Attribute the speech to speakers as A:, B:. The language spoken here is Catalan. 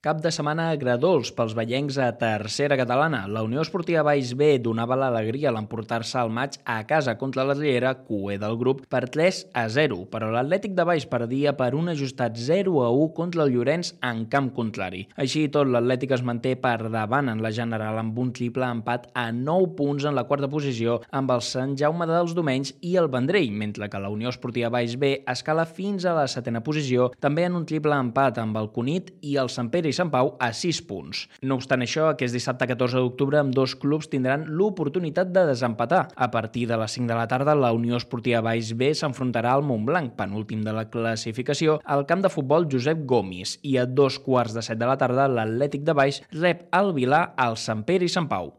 A: Cap de setmana agredolç pels vallencs a tercera catalana. La Unió Esportiva Baix B donava l'alegria a l'emportar-se el maig a casa contra la Riera, cuer del grup, per 3-0, però l'Atlètic de Baix perdia per un ajustat 0-1 contra el Llorenç en camp contrari. Així i tot, l'Atlètic es manté per davant en la general amb un triple empat a 9 punts en la quarta posició amb el Sant Jaume dels Domenys i el Vendrell, mentre que la Unió Esportiva Baix B escala fins a la setena posició, també en un triple empat amb el Cunit i el Sant Pere i Sant Pau a 6 punts. No obstant això, aquest dissabte 14 d'octubre ambdós clubs tindran l'oportunitat de desempatar. A partir de les 5 de la tarda, la Unió Esportiva Baix B s'enfrontarà al Montblanc, penúltim de la classificació, al camp de futbol Josep Gomis, i a 2:15 de la tarda l'Atlètic de Baix rep el Vilà al Sant Pere i Sant Pau.